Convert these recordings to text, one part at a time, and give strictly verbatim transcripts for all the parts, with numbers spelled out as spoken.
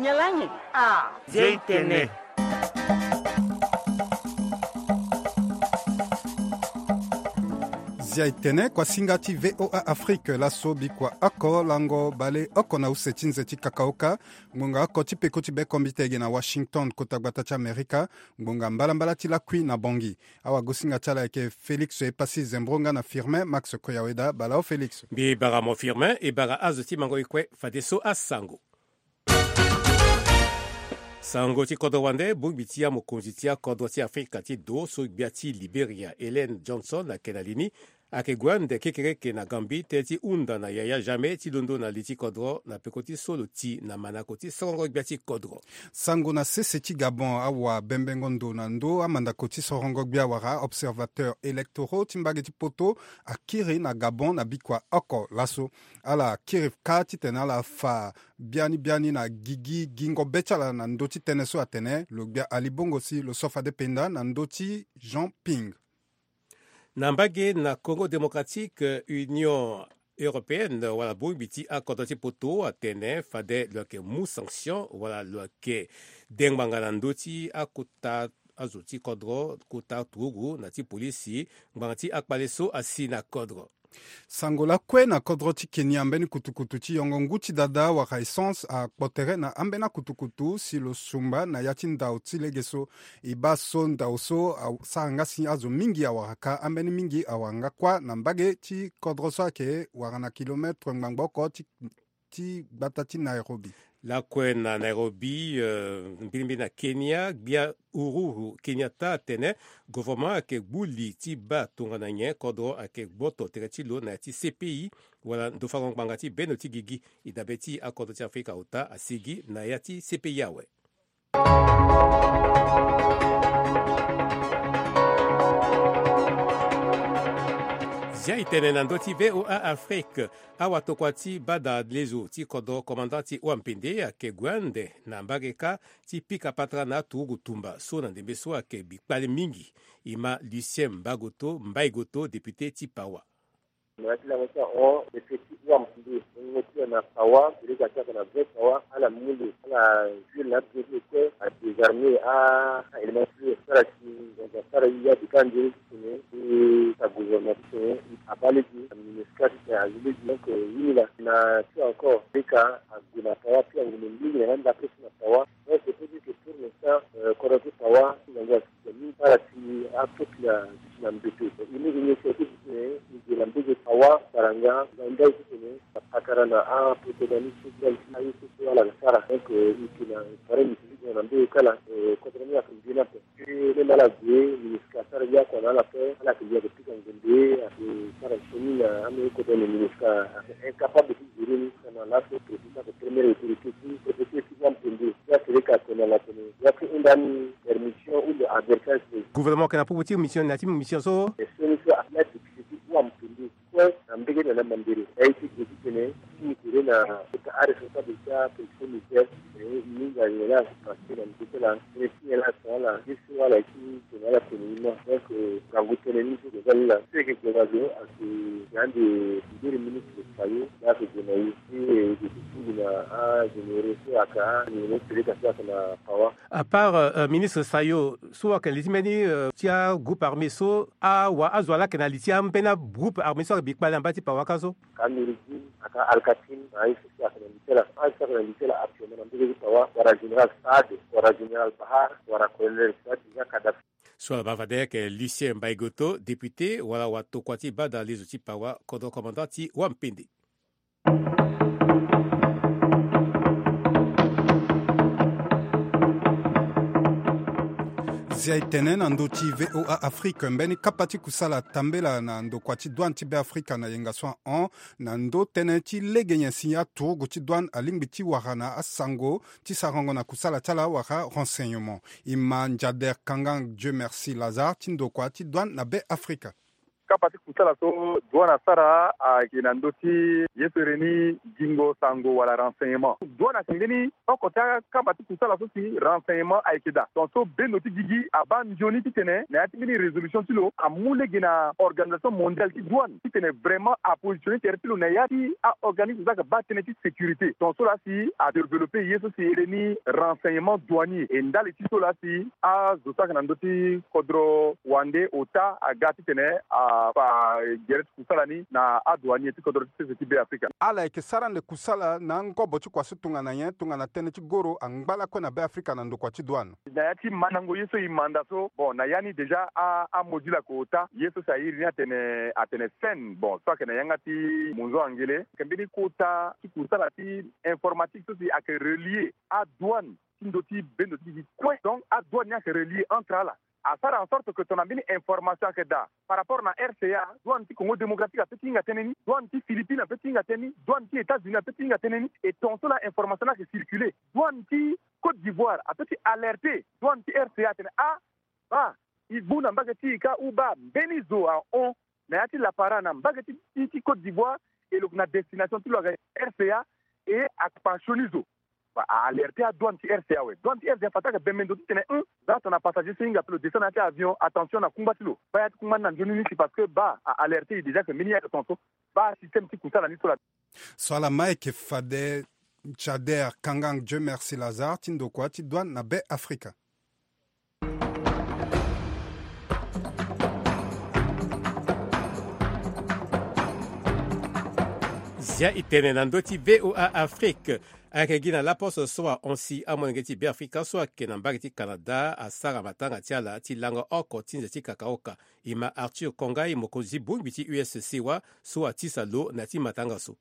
Nyalangi. Ah. Zia itene. Zia itene, kuasinga ti V O A Afrique, laso bikua oko lango bale oko na use ti nze ti kakaoka. Ngbonga oko ti peko ti bekombite ege na Washington, kota gbata ti Amerika. Ngbonga mbalambala ti lakui na Bongi. Awagosinga ti ala ayeke Félix Epassi Zembro nga na Firmin Max Koyaweda. Bala o Félix. Mbi bara mo Firmin, e bara azo ti mango e kue fadeso asango. Sango ti kodro wande, bongbi ti amokonzi ti akodro ti Afrika ti do so gbia ti Liberia, Ellen Johnson, ayeke na li ni, ayeke gue ande kekereke na Gambie tënë ti hunda na yaya Jammeh ti londo na li ti kodro na peko ti so lo ti na manako ti sorongo gbia ti kodro. Sango na sese ti Gabon, awa bembengo ndo na ndö amandako ti sorongo gbia wala observateurs électoraux ti mbage ti poto akiri na Gabon na bikua oko laso. Ala kiri kâ titene ala fa biani biani na gigi gingo be ti ala na ndö ti tënë so atene lo gbia ali bongo si lo so fade penda na ndö ti Jean Ping. Na mbage na Congo Démocratique, Union Européenne wala bongbi ti akodro ti poto atene fade lo yeke mu sanction wala lo yeke de ngbanga na ndö ti akota azo ti kodro, kota turugu na ti polisi, ngbanga ti akpale so asi na kodro. Sango lakue na kodro ti Kenya, mbeni kutukutu ti yongo ngu ti dada wala essence akpo tere na ambeni akutukutu si lo sumba na ya ti ndau ti lege so. E baa so ndau so asara nga si azo mingi awara kâ, ambeni mingi awara nga kuâ na mbage ti kodro so ayeke wara na kilometre ngbangbo oko ti ti gbata ti Nairobi. Lakue na Nairobi, euh, mbilimbili na Kenya, gbia Uhuru Kenyatta atene gouvernement ayeke gbu li ti baa tongana nyen kodro ayeke gboto tere ti lo na ya ti C P I wala ndofango ngbanga ti bendo ti gigi. E dabe ti akodro ti Afrika ota asigi na ya ti C P I awe. Zia e tene na ndö ti V O A Afrique. Awatokua ti bada lezo ti kodro, commandant ti Wampende, ayeke gue ande na mbage kâ ti pika patara na aturugu tumba so na ndembe so ayeke bikpale mingi. E ma Lucien Mbagoto, Mbaigoto, député ti Pawa. Na ya ti lango ti ahon, député ti Wampende, wungo ti lo na Pawa, iri ga ti aka na vrai Pawa, ala mu lo, ala juil na abibe ti lo kue, adésarmé a, a élément ti lo, asara si ngonzo asara ye abika nzoni ti tene, e ta gouvernement ti tene, abaa lege na MINUSCA ti tene azi lege. Donc, euh, ye ni laa, na ti encore, leka ague na Pawa, puis angbene mingi na ya ndapre so na Pawa. Donc, c'est pour dire que pour l'instant, euh, kodro ti Pawa, ti ngangu asi. Ni ala ti apeuple ti na mbeto. E mu e nyen si ayeke ti tene e gue na mbage Pawa, Baranga, na ndai ti tene na patara na apoto dani ti gbia ti aye so so ala ga sara. Donc, e yeke na pare ni ti tene na mbage kala, eh, kodro ni ayeke mbi ni ape. Ti même ala gue MINUSCA asara ye akua na ala ape, ala yeke mbi ayeke pika ngonde, ayeke sara sioni na ambeni kodro ni MINUSCA ayeke incapable ti gérer ni. Na laso préfet ti ayeke première autorité ti préfecture ti Wampende. Ti aseleka atene na tene, ya ti hunda ni permission ou bien avertissement. Gouvernement ayeke na popo ti mission, na ya ti mission so. E so ni so ala député ti Wampende kue na mbage na na Mambere. Aye ti gue ti tene ti mu tere na kota aresponsable ti apolice militaire. E hinga nyen la ayeke passé na ndö ti ala. Tene ti nyen la atene ala. Ye so ala ye ti tene ala tene ni ma. Donc, euh, ngangu tënë ni so gue nga ni laa. So e yeke gue na zo ayeke na ande mbiri ministre Sayo. Ni ayeke gue na ye ti, eh, gue ti tingbi na agénéraux so ayeke, agénéraux ti leta so ayeke na Pawa. À part, euh, euh, ministre Sayo, so ayeke li ti mbeni, euh, ti agroupe armé so, awa azo wa laa ayeke na li ti ambeni agroupe armé so ayeke bi kpale na mbage ti Pawa kâ so. Ka Noureddine, aka Alkatim, na aye so si ayeke na li ti ala. Aye so ayeke na li ti ala actuellement na mbage ti Pawa, wala général Saad, wala général Bahar, wala colonel Saad, déjà Kadhafi. So ala baa fade ayeke Lucien Mbaïgoto, député wala watokua ti bada lezo ti Pawa, kodro commandant ti Wampende. Zia e tene na ndö ti V O A Afrique, mbeni kapa ti kusala tambela na ndokua ti douane ti Beafrika na yenga so ahon na ndö tënë ti lege nyen si aturugu ti douane alingbi ti wara na asango ti sarango na kusala ti ala wala renseignement. E ma Njader Kangang Dieu Merci Lazare ti ndokua ti douane na Beafrika. Kapa ti kusala so douane asara ayeke na ndö ti ye so ere ni gingo sango wala renseignement. Douane ayeke mbeni oko ti akapa ti kusala so si renseignement ayeke daa. Tongaso bendo ti gigi abaa nzoni titene na ya ti mbeni résolution ti lo amu lege na organisation mondiale ti douane titene vraiment apositionner tere ti lo na ya ti aorganisme so ayeke baa tënë ti sécurité. Tongaso laa si adévelopper ye so si ere ni renseignement douanier. E ndali ti so laa si azo so ayeke na ndö ti kodro wande ota aga titene afa gere ti kusala ni na adouanier ti kodro ti sese ti Be Afrika. Ala yeke sara ande kusala na angobo ti kua so tongana nyen tongana tënë ti goro angba lakue na Be Afrika na ndokua ti douane. Na ya ti mandango ye so e manda so, bon, na ya ni déjà a, amodule ayeke ota ye so si a iri ni atene, atene sen, bon, so ayeke na yanga ti monzo angele. Ayeke mbeni kota ti kusala ti informatique so si ayeke relier adouane ti ndö ti bendo ti gigi kue. Donc adouane ni ayeke relier entre ala. Asara en sorte que tongana mbeni information ayeke daa par rapport na R C A, douane ti Congo Démocratique apeut ti hinga tënë ni, douane ti Philippines apeut ti hinga tënë ni, douane ti États-Unis apeut ti hinga tënë ni. Et tongaso laa information ni ayeke circuler. Douane ti Côte d'Ivoire apeut ti alerter douane ti R C A atene, ah, baa, e gbu na mbage ti e kâ ou baa, mbeni zo ahon na ya ti lapara na mbage ti, ti, ti Côte d'Ivoire, e lo yeke na destination ti lo aga R C A, e akpa sioni zo. Ba, a alerter adouane ti R C A awe. Douane ti R C A fade ti ayeke bembe ndo titene, hum, za tongana passager so e hinga ape lo descend na ya ti avion, attention na kungba ti lo. Baa ya ti kungba ni na nzoni ni si parce que baa a alerter e déjà que mbeni ya ayeke tongaso. Baa système ti kusala ni so laa. So ala ma ayeke fade Chader Kangang Dieu Merci Lazare ti ndokua ti douane na Be Afrika. Zia e tene na ndö ti V O A Afrique. Ayeke gi na laposo so ahon si amolenge ti Be Afrika so ayeke na mbage ti Canada asara matanga ti ala ti lango oko ti nze ti kakaoka. E ma Arthur Kongai, mokonzi ti bongbi ti U S C wa, so atisa lo na ya ti matanga so.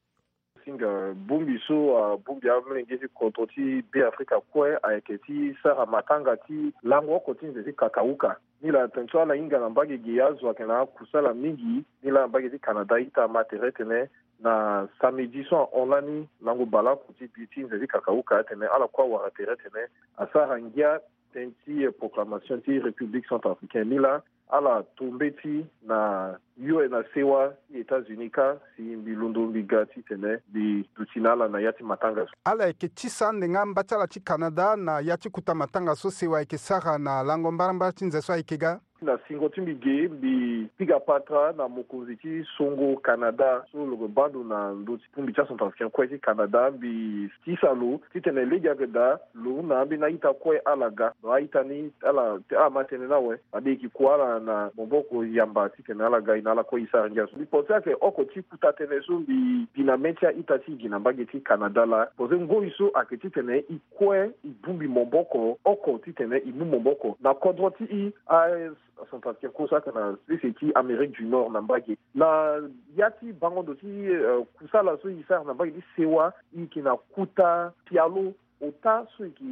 Singa bongbi so abongbi amolenge ti kodro ti Be Afrika kue ayeke ti sara matanga ti lango oko ti nze ti kakauka. Ni laa tene so ala hinga na mbage ge azo ayeke na akusala mingi. Ni laa na mbage ti Canada ita ama tere tene na samedi so ahon lani lango baleoko ti bi ti nze ti kakauka atene ala kue awara tere tene asara ngia tënë ti proclamation ti République centrafricaine. Ni laa ala to mbeti na U S na sewa ti États-Unis kâ si mbi londo mbi ga titene mbi duti na ala na ya ti matanga so. Ala yeke tisa ande nga mba ti ala ti Canada na ya ti kota matanga so sewa ayeke sara na lango mbarambara ti nze so ayeke ga. Na singo ti mbi ge mbi piga patara na mokonzi ti songo Canada so lo yeke baa ndo na ndö ti bongbi ti acentrafricain kue ti Canada, mbi tisa lo titene lege ayeke daa lo hunda ambeni a-ita kue ala ga. Donc a-ita ni ala, ala ma tënë ni awe. Abe e yeke kua ala na maboko yamba titene ala ga e na ala kue e sara ngia so. Mbi pense ayeke oko ti kota tënë so mbi bi na mê ti a-ita ti e gi na mbage ti Canada laa. Pense ngoi so ayeke titene e kue e bongbi maboko oko titene e mu maboko na kodro ti e, a, acentrafricain kue so ayeke na sese ti Amérique du Nord na mbage. Na ya ti bango ndo ti, eh, kusala so e sara na mbage ti sewa, e yeke na kota pialo ota so e yeke,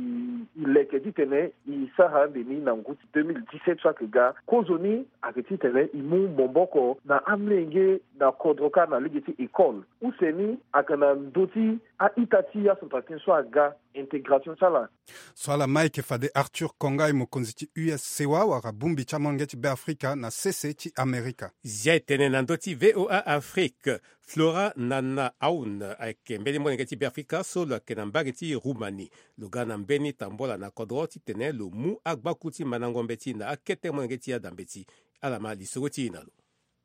e leke titene e sara ande ni na ngu ti deux mille dix-sept so ayeke ga. Kozoni ayeke titene e mu maboko na amolenge na kodro kâ na lege ti école. Use ni ayeke na ndö ti a-ita ti acentrafricain so aga intégration ti ala. So ala ma ayeke fade Arthur Kongai, mokonzi ti U S sewa wala bongbi ti amolenge ti Be Afrika na sese ti Amerika. Zia e tene na ndö ti V O A Afrique. Flora Nana Aoun ayeke mbeni molenge ti Be Afrika so lo yeke na mbage ti Roumanie. Lo ga na mbeni tambola na kodro titene lo mu agbaku ti mandango mbeti na akete molenge ti ada mbeti. Ala ma lisoro ti e na lo.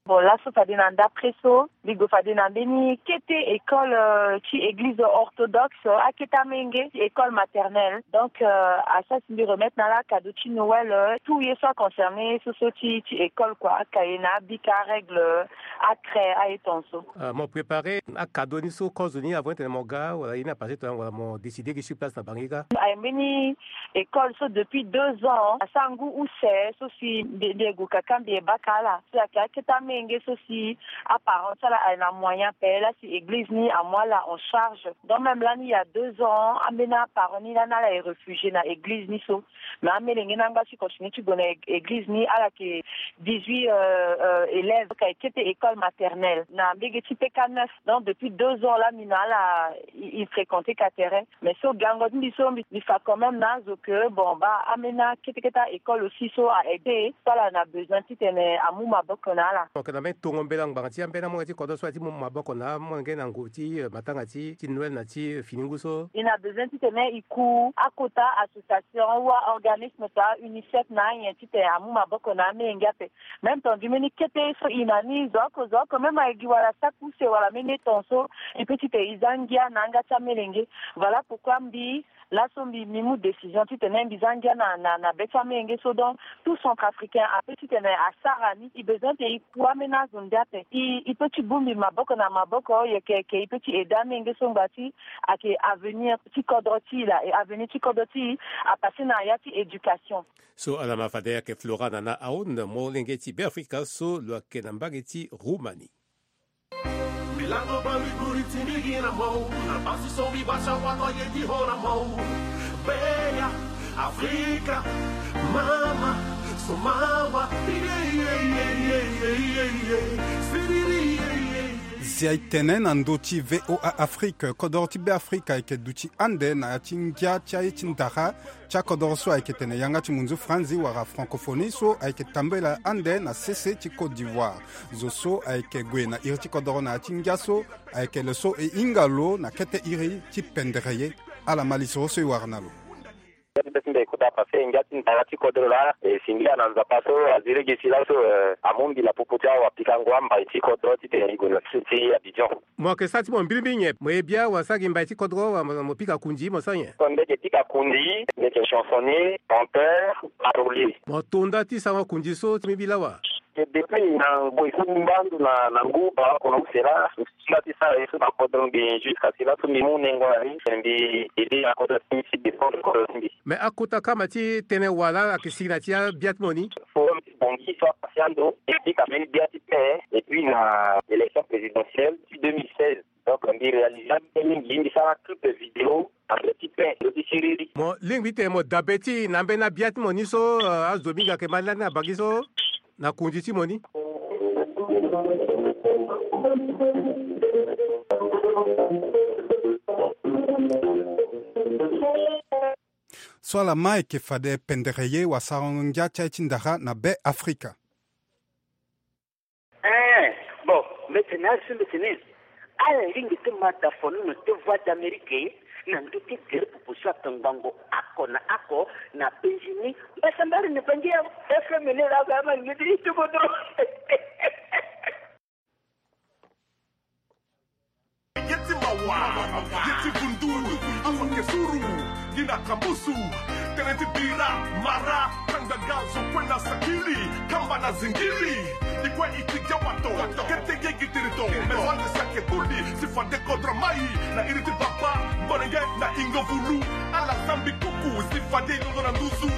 Bon, laso fade na ndapre so mbi gue fade na mbeni kete école, euh, ti église orthodoxe, euh, akete amenge ti école maternelle. Donc, euh, asara si mbi remettre na ala cadeau ti Noël, euh, tout ye so aconcerné so so ti, ti école quoi, akaye na abika, arègle, euh, acraie, aye tonso. Euh, mo préparer acadeau ni so kozoni avant titene mo ga wala ye ni apasser tongaso wala mo décider gi sur place na bangi kâ? Aye mbeni école so depuis deux ans, asara ngu use so si mbi, mbi ye gue kaka mbi ye baka ala. So ayeke akete amenge so si aparent ti ala aye na moyen ape laa si église ni amu ala en charge. Donc même lani il y a deux ans, ambeni aparent ni lani ala ye réfugié na église ni so. Mais amolenge ni angba ti continue ti gue na é-, église ni, ala yeke dix-huit, euh, euh, élèves, donc ayeke kete école maternelle na mbage ti P K neuf. Donc depuis deux ans laa mbi na ala e, e fréquenter ka tere. Mais so gango ti mbi so mbi, mbi fa quand même na azo que bon, baa ambeni akete kete a-école aussi so a aidé so ala na besoin titene amu maboko na ala. Ake na mbeni tongo mbela ngbanga ti ambeni amolenge ti kodro so aye ti mu maboko na amolenge na ngu ti, eh, matanga ti, ti Noël na ti, eh, fini ngu so. I na besoin titene i ku akota association wa organisme ta UNICEF na anyen titene amu maboko na amolenge ape. Même temps, du mbeni kete so i na ni zo oko zo oko, même ayeke gi wala saki use wala mbeni eton so, i peut titene i za ngia na yanga ti amolenge. Voilà pourquoi mbi, laso mbi, mbi mu décision titene mbi za ngia na, na, na be ti amolenge so. Donc, tout centrafricain apeut titene asara ni, i besoin titene i ku ambeni azo nde ape. I, i peut ti bongbi maboko na maboko, i yeke, yeke i peut ti aider amolenge so ngbanga ti, ayeke avenir ti kodro ti i laa, e avenir ti kodro ti i apassé na ya ti éducation. So ala ma fade ayeke Flora Nana Aoun, molenge ti Beafrika so lo yeke na mbage ti Roumanie. Milango ba mi guri ti mi gi na mo, na basi so mi basa wa to ye di ho na mo. Beya, Afrika, mama, so mawa, ye, ye, ye. Siriri, ye, ye, ye. Zia e tene na ndö ti V O A Afrique, kodoro ti Beafrika ayeke duti ande na ya ti ngia ti aye ti ndara ti akodoro so ayeke tene yanga ti munzu franzi wala francophonie so ayeke tambela ande na sese ti Côte d'Ivoire. Zo so ayeke gue na iri ti kodoro na ya ti ngia so ayeke lo so e hinga lo na kete iri ti pendere ye. Ala ma lisoro so e wara na lo. Ngia ti be ti mbi e kota pase, ngia ti ndara ti kodro laa e singila na Nzapa so azi lege si laso, eh, amu mbila popo ti awapikango ambai ti kodro titene e gue na sese ti Abidjan. Mo yeke sara ti mo mbirimbiri nyen? Mo ye bia wala sara gi mbai ti kodro wala mo, mo pika kundi, mo sara nyen? So mbi yeke pika kundi, mbi yeke chansonnier, chanteur, parolier. Mo to nda ti sarango kundi so ti mbi lawa? E depuis na ngoi so mbi mba ndo na, na ngu baa oko na use laa, mbi ti nda ti sara ye so na kodro mbi jusqu'à si laso mbi mu nengo na ni, mbi aider na kodro ti mbi, si défendre kodro ti mbi. Mais akota kama ti tënë wala ayeke sigi na ti abia ti mo ni? Forum ti Bangui so apase ando, e pika mbeni bia ti paix, et puis na élection présidentielle ti deux mille seize. Donc mbi réalise ape mingi, mbi sara clip vidéo na be ti paix, ndo ti siriri. Mo lingbi titene mo dabe ti e na ambeni abia ti mo ni so, eh, azo mingi ayeke ma lani na Bangui so, na kundi ti mo ni. So ala ma ayeke fade pendere ye wala sarango ngia ti aye ti ndara na Beafrika. Eh, bon, mbi tene azo, mbi tene ala lingbi ti ma da fonono ti Voix d'Amérique na ndö ti gere pupu so ayeke ngbongo oko na oko na penzi ni. Mbasambara ni Bangui FM ni laa, ama ni ti kodro. Ye ti mawa, ye ti vundu, azo ayeke suru, gi na kambusu, tënë ti bira, mara, kanga ga, zo kue na sakili, kamba na zingili, i kue i ti gia wato, kete ge gi tiriton, mais so ande si ayeke kuli, si fade kodro mai, na iri ti baba, mbolenge, na ingo vulu, ala zambi kuku, si fade i londo na nduzu.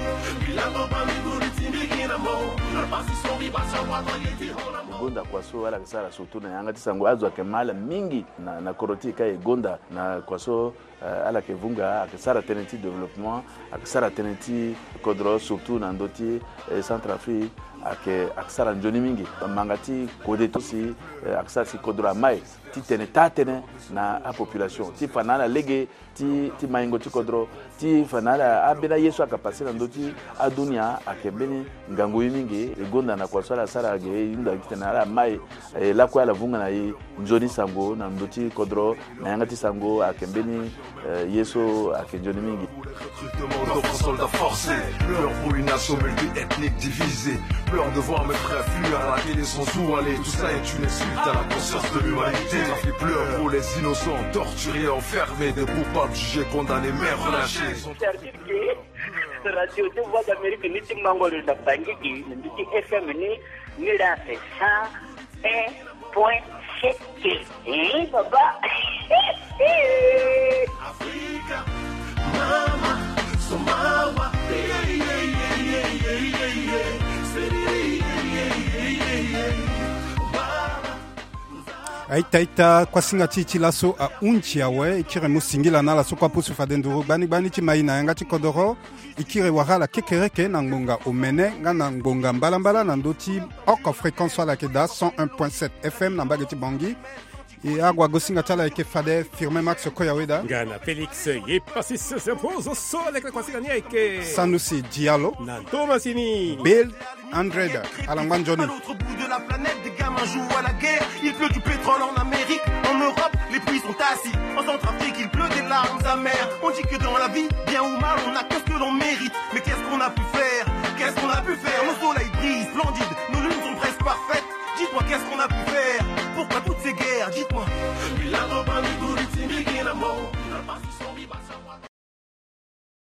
Milango ba mi guri ti mbi gi na mo, na pasi so mbi basa wato ye ti ho na mo. E gonda kua so ala yeke sara surtout na yanga ti sango, azo ayeke ma ala mingi na, na kodro ti e ka e gonda na kua so, eh, ala yeke vunga, ayeke sara tënë ti développement, ayeke sara tënë ti kodro surtout na ndö ti, eh, Centrafrique, ayeke, ayeke sara nzoni mingi. Manga ti kode ti si, eh, ayeke sara si kodro amai ti tene taa tënë na apopulation ti fa na ala lege ti, ti maingo ti kodro, ti fa na ala ambeni aye so ayeke pase na ndö ti adunia ayeke mbeni ngangu ye mingi. E gonda na kua so ala sara ge, e hunda titene ala mai, e lakue ala vunga na e nzoni sango na ndö ti kodro, na yanga ti sango ayeke mbeni, eh, ye so ayeke nzoni mingi. Recrutement d'autres soldats forcés, pleure pour une nation multiethnique divisée, pleure de voir mes frères fuir à la télé sans où aller, tout ça est une insulte à la conscience de l'humanité. Ça fait pleurer pour les innocents, torturés, enfermés, des coupables jugés, condamnés, mais relâchés. Radio ti Voix d'Amérique ni ti mango lo na Bangui gi, na ndö ti F M ni, ni la fait cent un point sept. Eh, baba. Afrika, mama, so mawa. Aita ita, kuasinga ti e ti laso ahunzi awe. E kiri mu singila na ala so kue apusu fade nduru gbani gbani ti mai na yanga ti kodoro. E kiri wara ala kekereke na ngbonga omene nga na ngbonga mbalambala na ndö ti oko fréquence so ala yeke daa, cent un point sept F M na mbage ti Bangui. E ague agosinga ti ala ayeke fade Firmin Max Koyaweda. Nga na Félix Yepassis Zempozo so aleke na kuasinga ni ayeke Sanusi Diallo. Na ndo masini Bill Andred Alangba Nzoni. L'autre bout de la planète, des gamins jouent à la guerre. Il pleut du pétrole en Amérique, en Europe, les pluies sont acides. En Centrafrique, il pleut des larmes amères. On dit que dans la vie, bien ou mal, on n'a que ce que l'on mérite. Mais qu'est-ce qu'on a pu faire ? Qu'est-ce qu'on a pu faire ? Nos